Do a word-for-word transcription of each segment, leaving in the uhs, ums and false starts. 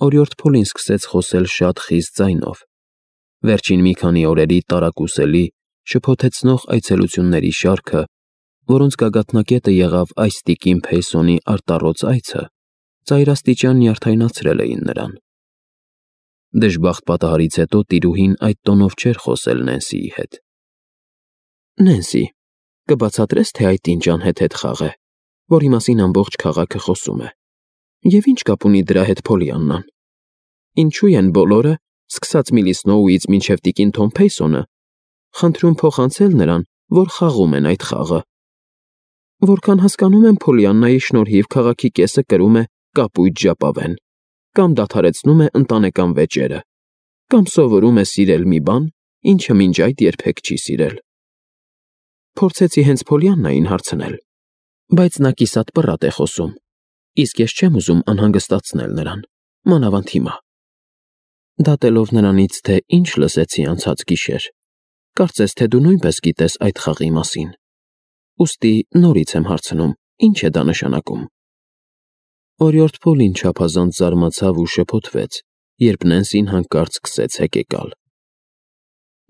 օրիորդ Փոլին սկսեց խոսել շատ խիստ ձայնով, վերջին մի քանի օրերի տարակուսելի, շփոթեցնող այցելությունների շարքը, որոնց գագաթնակետը եղավ այս տիկին Փեյսոնի արտառոց այցը, ծայրաստիճան նյարդայնացրել էին նրան։ Դժբախտ պատահարից հետո տիրուհին այդ տոնով չէր խոսել Նենսիի հետ։ Նենսի, կբացատրես, թե այդ ինչ անհեթեթ խաղ է, որի մասին ամբողջ քաղաքը խոսում է, և ինչ կապ ունի դրա հետ Փոլիաննան։ Ինչու են բոլորը, սկսած Միլի Սնոուից մինչև տիկին Թոմ Փեյսոնը, խնդրում փոխանցել նրան, որ խաղում են այդ խաղը։ Որքան հասկանում եմ, Փոլիաննայի շնորհիվ քաղաքի կեսը կրում է կապույտ ժապավեն, կամ դադարեցնում է ընտանեկան վեճերը, կամ սովորում է սիրել մի բան, ինչը մինչ այդ երբեք չի սիրել։ Փորձեցի հենց Փոլիաննային հարցնել, բայց նա կիսատ պռատ է խոսում, իսկ ես չեմ ուզում անհանգստացնել նրան, մանավանդ հիմա։ Դատելով նրանից, թե ինչ լսեցի անցած գիշեր, կարծես թե դու նույնպես գիտես այդ խաղի մասին։ Ուստի նորից եմ հարցնում, ինչ է դա նշանակում։ Օրիորդ Փոլին չափազանց զարմացավ ու շփոթվեց, երբ Նենսին հանկարծ սկսեց հեկեկալ։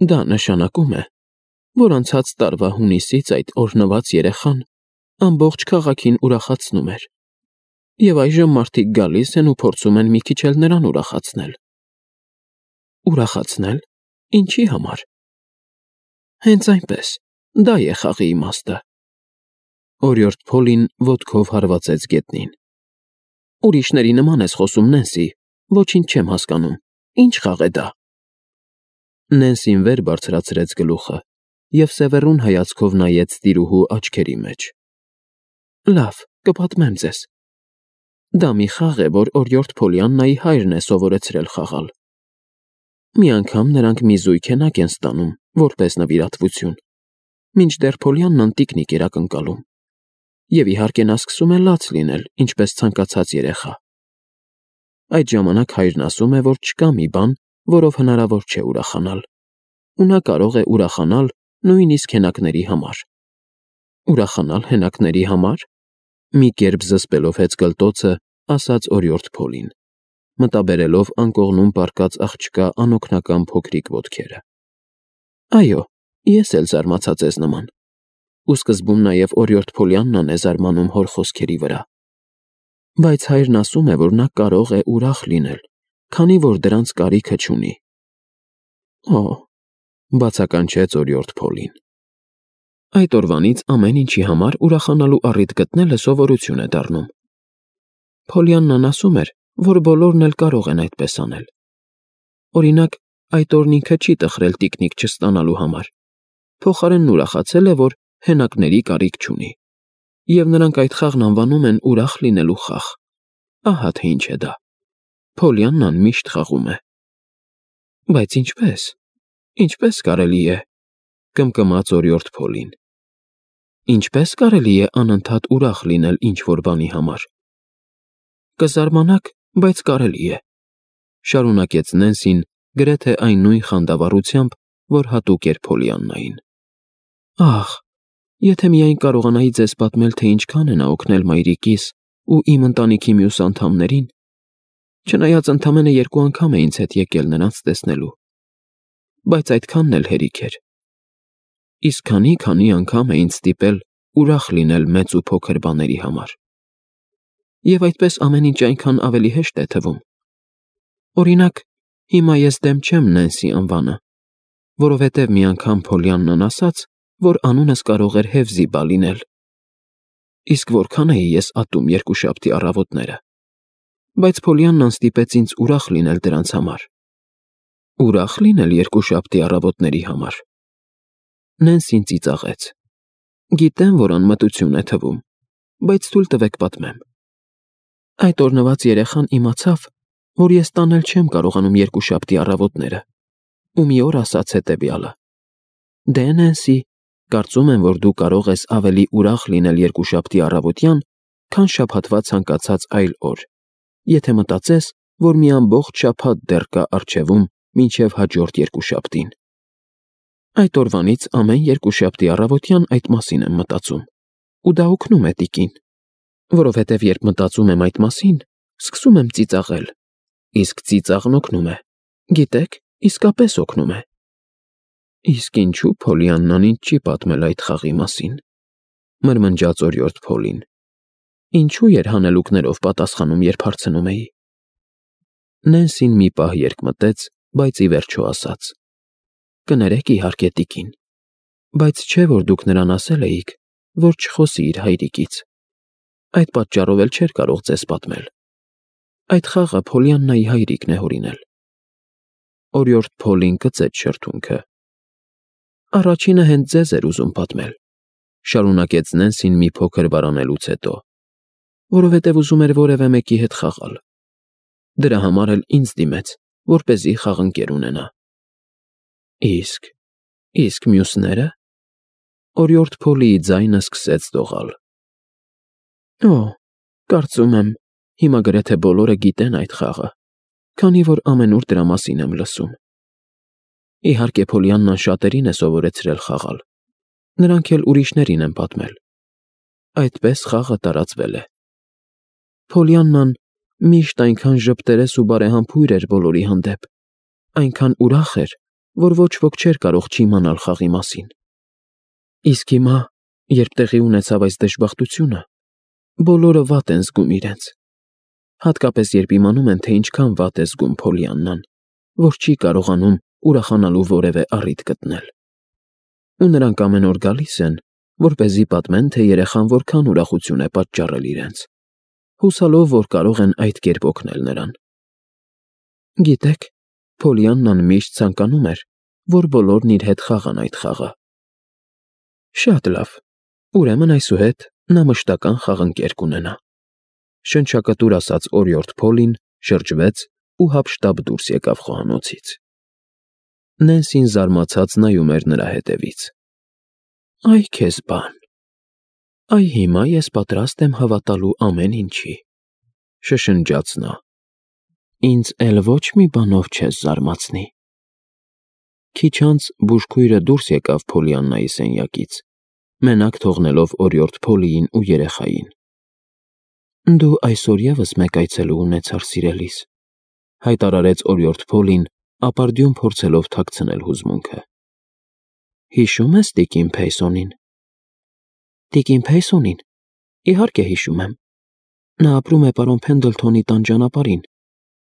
Դա նշանակում է, որ անցած տարվա հունիսից այդ օրհնված երեխան ամբողջ քաղաքին ուրախացնում էր, և այժմ մարդիկ գալիս են ու փորձում են մի քիչ էլ նրան ուրախացնել։ Ուրախացնել։ Ինչի համար։ Հենց այնպես, դա է խաղի իմաստը։ Օրիորդ Փոլին ոտքով հարվածեց գետնին։ Ուրիշների նման ես խոսում, Նենսի, ոչինչ չեմ հասկանում, ինչ խաղ է դա։ Նենսին վեր բարձրացրեց գլուխը և սևեռուն հայացքով նայեց տիրուհու աչքերի մեջ։ Լավ, կպատմեմ ձեզ։ Դա մի խաղ է, որ օրիորդ Փոլիաննայի հայրն է սովորեցրել խաղալ։ Մի անգամ նրանք մի զույգ հենակ են ստանում, որպես նվիրատվություն, մինչդեռ Փոլիաննան տիկնիկ էր ակնկալում, և իհարկե նա սկսում է լաց լինել, ինչպես ցանկացած երեխա։ Այդ ժամանակ հայրն ասում է, որ չկա մի բան, որով հնարավոր չէ ուրախանալ, ու նա կարող է ուրախանալ նույնիսկ հենակների համար։ Ուրախանալ հենակների համար։ Մի կերպ զսպելով հեծկլտոցը, ասաց օրիորդ Փոլին, մտաբերելով անկողնում պառկած աղջկա անօգնական փոքրիկ ոտքերը։ Այո, ես էլ զարմացա ձեզ նման։ Ու սկզբում նաև օրիորդ Փոլիաննան է զարմանում հոր խոսքերի վրա։ Բայց հայրն ասում է, որ նա կարող է ուրախ լինել, քանի որ դրանց կարիքը չունի։ Օ, բացականչեց օրիորդ Փոլին։ Այդ օրվանից ամեն ինչի համար ուրախանալու առիթ գտնելը սովորություն է դառնում։ Փոլիաննան ասում էր, որ բոլորն էլ կարող են այդպես անել։ Օրինակ, այդ օրն ինքը չի տխրել տիկնիկ չստանալու համար, փոխարենն ուրախացել է, որ հենակների կարիք չունի, և նրանք այդ խաղն անվանում են ուրախ լինելու խաղ։ Ահա թե ինչ է դա։ Փոլիաննան միշտ խաղում է։ Բայց ինչպե՞ս, ինչպե՞ս կարելի է, կմկմաց օրիորդ Փոլին։ Ինչպե՞ս կարելի է անընդհատ ուրախ լինել ինչ-որ բանի համար։ Կզարմանաք, բայց կարելի է, շարունակեց Նենսին գրեթե այն նույն խանդավառությամբ, որ հատուկ էր Փոլիաննային։ Ախ, եթե միայն կարողանայի ձեզ պատմել, թե ինչքան է նա օգնել մայրիկիս ու իմ ընտանիքի մյուս անդամներին, չնայած ընդամենը երկու անգամ է ինձ հետ եկել նրանց տեսնելու, բայց այդքանն էլ հերիք էր։ Իսկ քանի-քանի անգամ է ինձ ստիպել ուրախ լինել մեծ ու փոքր բաների համար։ Եվ այդպես ամեն ինչ այնքան ավելի հեշտ է թվում։ Օրինակ, հիմա ես դեմ չեմ Նենսի անվանը, որովհետև մի անգամ Փոլիաննան ասաց, որ անունս կարող էր Հեվզիբա լինել։ Իսկ որքան էի ես ատում երկուշաբթի առավոտները։ Բայց Փոլիաննան ստիպեց ինձ ուրախ լինել դրանց համար։ Ուրախ լինել երկուշաբթի առավոտների համար։ Նենսին ծիծաղեց։ Գիտեմ, որ անմտություն է թվում, բայց թույլ տվեք պատմեմ։ Այդ օրնված երեխան իմացավ, որ ես տանել չեմ կարողանում երկուշաբթի առավոտները, ու մի օր ասաց հետևյալը. Դե Նենսի, կարծում եմ, որ դու կարող ես ավելի ուրախ լինել երկուշաբթի առավոտյան, քան շաբաթվա ցանկացած այլ օր, եթե մտածես, որ մի ամբողջ շաբաթ դեռ կա առջևում մինչև հաջորդ երկուշաբթին։ Այդ օրվանից ամեն երկուշաբթի առավոտյան այդ մասին եմ մտածում, ու դա օգնում է տիկին, որովհետև երբ մտածում եմ այդ մասին, սկսում եմ ծիծաղել, Իսկ ծիծաղն օգնում է։ Գիտեք, իսկապես օգնում է։ Իսկ ինչու Փոլիաննան ինձ չի պատմել այդ խաղի մասին, մրմնջաց օրիորդ Փոլին։ Ինչու էր հանելուկներով պատասխանում, երբ հարցնում էի։ Նենսին մի պահ երկմտեց, բայց ի վերջո ասաց. Կներեք իհարկե, տիկին, բայց չէ որ դուք նրան ասել էիք, որ չխոսի իր հայրիկից։ Այդ պատճառով էլ չէր կարող ձեզ պատմել։ Այդ խաղը Փոլիաննայի հայրիկն է հորինել։ Օրիորդ Փոլին կծեց շրթունքը։ Առաջինը հենց ձեզ էր ուզում պատմել, շարունակեց Նենսին մի փոքր վարանելուց հետո, որովհետև ուզում էր որևէ մեկի հետ խաղալ։ Դրա համար էլ ինձ դիմեց, որպեսզի խաղընկեր ունենա։ Իսկ, իսկ մյուսները։ Օրիորդ Փոլիի ձայնը սկսեց դողալ։ Օ, կարծում եմ, հիմա գրեթե բոլորը գիտեն այդ խաղը, քանի որ ամենուր դրա մասին եմ լսում։ Իհարկե Փոլիաննան շատերին է սովորեցրել խաղալ, նրանք էլ ուրիշներին են պատմել։ Այդպես խաղը տարածվել է։ Փոլիաննան միշտ այնքան ժպտերես ու բարեհամբույր էր բոլորի հանդեպ, այնքան ուրախ էր, որ ոչ ոք չէր կարող չիմանալ խաղի մասին։ Իսկ հիմա, երբ տեղի ունեցավ այս դժբախտությունը, բոլորը վատ են զգում իրենց։ Հատկապես երբ իմանում են, թե ինչքան վատ է զգում Փոլիաննան, որ չի կարողանում ուրախանալու որևէ առիթ գտնել։ Ու նրանք ամեն օր գալիս են, որպեսզի պատմեն, թե երեխան որքան ուրախություն է պատճառել իրենց, հուսալով, որ կարող են այդ կերպ օգնել նրան։ Գիտեք, Փոլիաննան միշտ ցանկանում էր, որ բոլորն իր հետ խաղան այդ խաղը։ Շատ լավ, ուրեմն այսուհետ նա մշտական խաղընկեր կունենա, շնչակտուր ասաց օրիորդ Փոլին, շրջվեց ու հափշտապ դուրս եկավ խոհանոցից։ Նենսին զարմացած նայում էր նրա հետևից։ Այ քեզ բան։ Այ հիմա ես պատրաստ եմ հավատալու ամեն ինչի, շշնջաց նա։ Ինձ էլ ոչ մի բանով չես զարմացնի։ Քիչ անց բուժքույրը դուրս եկավ Փոլիաննայի սենյակից, մենակ թողնելով օրիորդ Փոլիին ու երեխային։ Դու այսօր ևս մեկ այցելու ունեցար, սիրելիս, հայտարարեց օրիորդ Փոլին, ապարդյուն փորձելով թաքցնել հուզմունքը։ Հիշո՞ւմ ես տիկին Փեյսոնին։ Տիկին Փեյսոնին։ Իհարկե հիշում եմ։ Նա ապրում է պարոն Փենդլթոնի տան ճանապարհին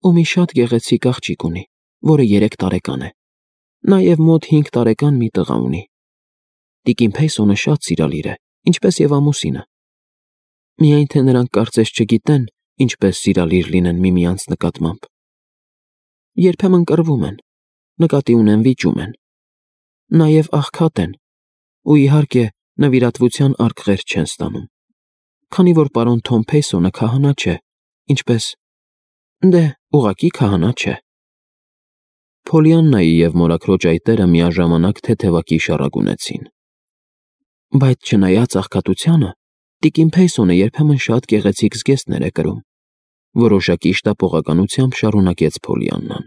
ու մի շատ գեղեցիկ աղջիկ ունի, որը երեք տարեկան է։ Նաև մոտ հինգ տարեկան մի տղա ունի։ Տիկին Փեյսոնը շատ սիրալիր է, ինչպես եւ ամուսինը։ Միայն թե նրանք կարծես չգիտեն, ինչպես սիրալիր լինեն միմյանց նկատմամբ։ Երբեմն կռվում են, նկատի ունեն վիճում են։ Նաև աղքատ են, ու իհարկե նվիրատվության արկղեր չեն ստանում, քանի որ պարոն Թոմ Փեյսոնը քահանա չէ, ինչպես… Դե, ուղղակի քահանա չէ։ Փոլիաննայի և մորաքրոջ այտերը միաժամանակ թեթևակի շառագունեցին։ Բայց չնայած աղքատությանը, տիկին Փեյսոնը երբեմն շատ գեղեցիկ զգեստներ է կրում, որոշակի շտապողականությամբ շարունակեց Փոլիաննան։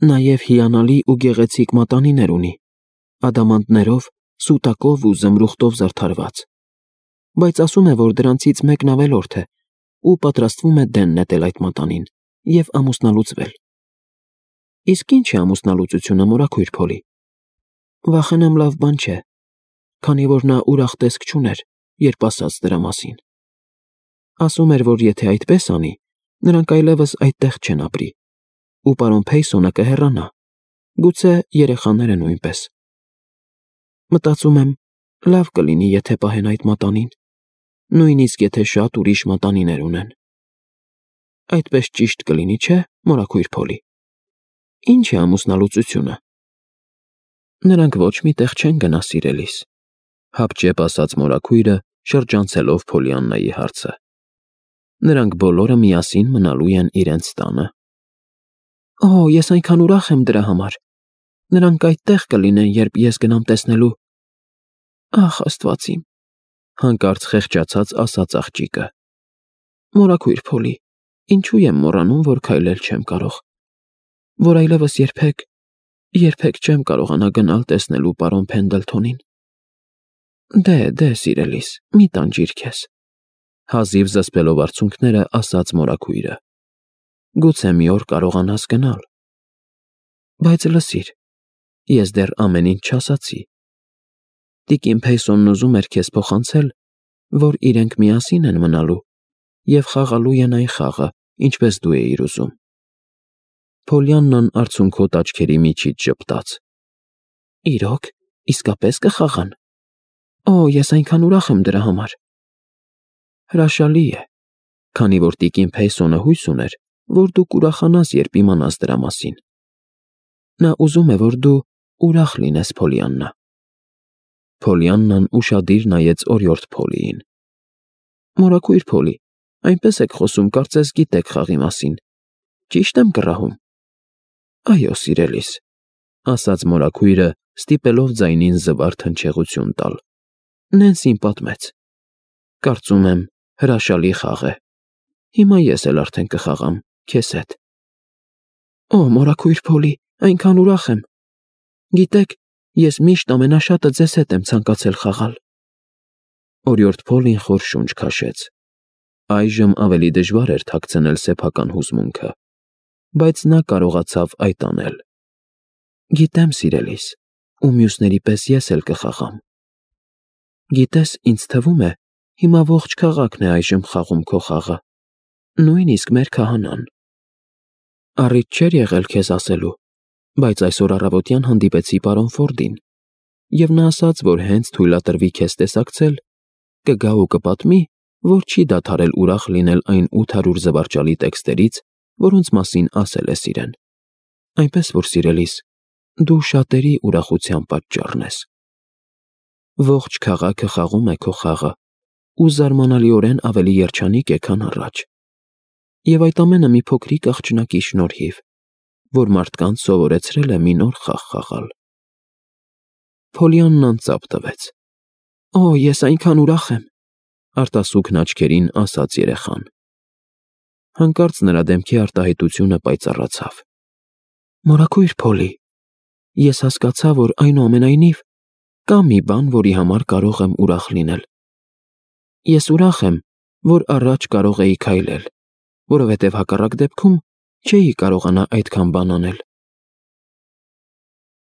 Նաև հիանալի ու գեղեցիկ մատանիներ ունի, ադամանդներով, սուտակով ու զմրուխտով զարդարված, բայց ասում է, որ դրանցից մեկն ավելորդ է ու պատրաստվում է դեն նետել այդ մատանին և ամուսնալուծվել։ Իսկ ի՞նչ է ամուսնալուծությունը, մորաքույր Փոլի։ Վախենամ լավ բան չէ, քանի որ նա ուրախ տեսք չուներ, երբ ասաց դրա մասին։ Ասում էր, որ եթե այդպես անի, նրանք այլևս այդտեղ չեն ապրի, ու պարոն Փեյսոնը կհեռանա, գուցե երեխաները նույնպես։ Մտածում եմ, լավ կլինի, եթե պահեն այդ մատանին, նույնիսկ եթե շատ ուրիշ մատանիներ ունեն։ Այդպես ճիշտ կլինի, չէ՞, մորաքույր Փոլի։ Ինչ է ամուսնալուծությունը։ Նրանք ոչ մի տեղ չեն գնա, սիրելիս, հապճեպ ասաց մորաքույրը, շրջանցելով Փոլիաննայի հարցը։ Նրանք բոլորը միասին մնալու են իրենց տանը։ Օ, ես այնքան ուրախ եմ դրա համար։ Նրանք այդտեղ կլինեն, երբ ես գնամ տեսնելու։ Ախ, Աստված իմ, հանկարծ խեղճացած ասաց աղջիկը։ Մորաքույր Փոլի, ինչու եմ մոռանում, որ քայլել չեմ կարող, որ այլևս երբեք, երբեք չեմ կարողանա գնալ տեսնելու պարոն Փենդլթոնին։ Դե, դե, սիրելիս, մի տանջիր քեզ, հազիվ զսպելով արցունքները ասաց մորաքույրը։ գուցե մի օր կարողանաս գնալ։ Բայց լսիր, ես դեռ ամեն ինչ չասացի։ Տիկին Փեյսոնն ուզում էր քեզ փոխանցել, որ իրենք միասին են մնալու և խաղալու են այն խաղը, ինչպես դու էիր ուզում։ Փոլիաննան արցունքոտ աչքերի միջից ժպտաց։ Իրոք, իսկապես կխաղան։ Օ, ես այնքան ուրախ եմ դրա համար։ Հրաշալի է, քանի որ տիկին Փեյսոնը հույս ուներ, որ դու կուրախանաս, երբ իմանաս դրա մասին։ Նա ուզում է, որ դու ուրախ լինես, Փոլիաննա։ Փոլիաննան ուշադիր նայեց օրիորդ Փոլիին։ Մորաքույր Փոլի, այնպես եք խոսում, կարծես գիտեք խաղի մասին։ Ճիշտ եմ կռահում։ Այո, սիրելիս, ասաց մորաքույրը, ստիպելով ձայնին զվարթ հնչեղություն տալ։ Նենսին պատմեց։ Կարծում եմ, հրաշալի խաղ է։ Հիմա ես էլ արդեն կխաղամ քեզ հետ։ Օ, մորաքույր Փոլի, այնքան ուրախ եմ։ Գիտեք, ես միշտ ամենաշատը ձեզ հետ եմ ցանկացել խաղալ։ Օրիորդ Փոլին խոր շունչ քաշեց։ Այժմ ավելի դժվար էր թաքցնել սեփական հուզմունքը, բայց նա կարողացավ այդ անել։ Գիտեմ, սիրելիս, ու մյուսների պես ես էլ կխաղամ։ Գիտես, ինձ թվում է, հիմա ողջ քաղաքն է այժմ խաղում քո խաղը, նույնիսկ մեր քահանան։ Առիթ չէր եղել քեզ ասելու, բայց այսօր առավոտյան հանդիպեցի պարոն Ֆորդին, և նա ասաց, որ հենց թույլատրվի քեզ տեսակցել, կգա ու կպատմի, որ չի դադարել ուրախ լինել այն ութ հարյուր զվարճալի տեքստերից, որոնց մասին ասել ես իրեն։ Այնպես որ, սիրելիս, դու շատերի ուրախության պատճառն ես։ Ողջ քաղաքը խաղում է քո խաղը ու զարմանալիորեն ավելի երջանիկ է, քան առաջ։ Եվ այդ ամենը մի փոքրիկ աղջնակի շնորհիվ, որ մարդկանց սովորեցրել է մի նոր խաղ խաղալ։ Փոլիաննան ծափ տվեց։ Օ, ես այնքան ուրախ եմ, արտասուքն աչքերին ասաց երեխան։ Հանկարծ նրա դեմքի արտահայտությունը պայծառացավ։ Մորաքույր Փոլի, ես հասկացա, որ այնուամենայնիվ կա մի բան, որի համար կարող եմ ուրախ լինել։ Ես ուրախ եմ, որ առաջ կարող էի քայլել, որովհետև հակառակ դեպքում չէի կարողանա այդքան բան անել։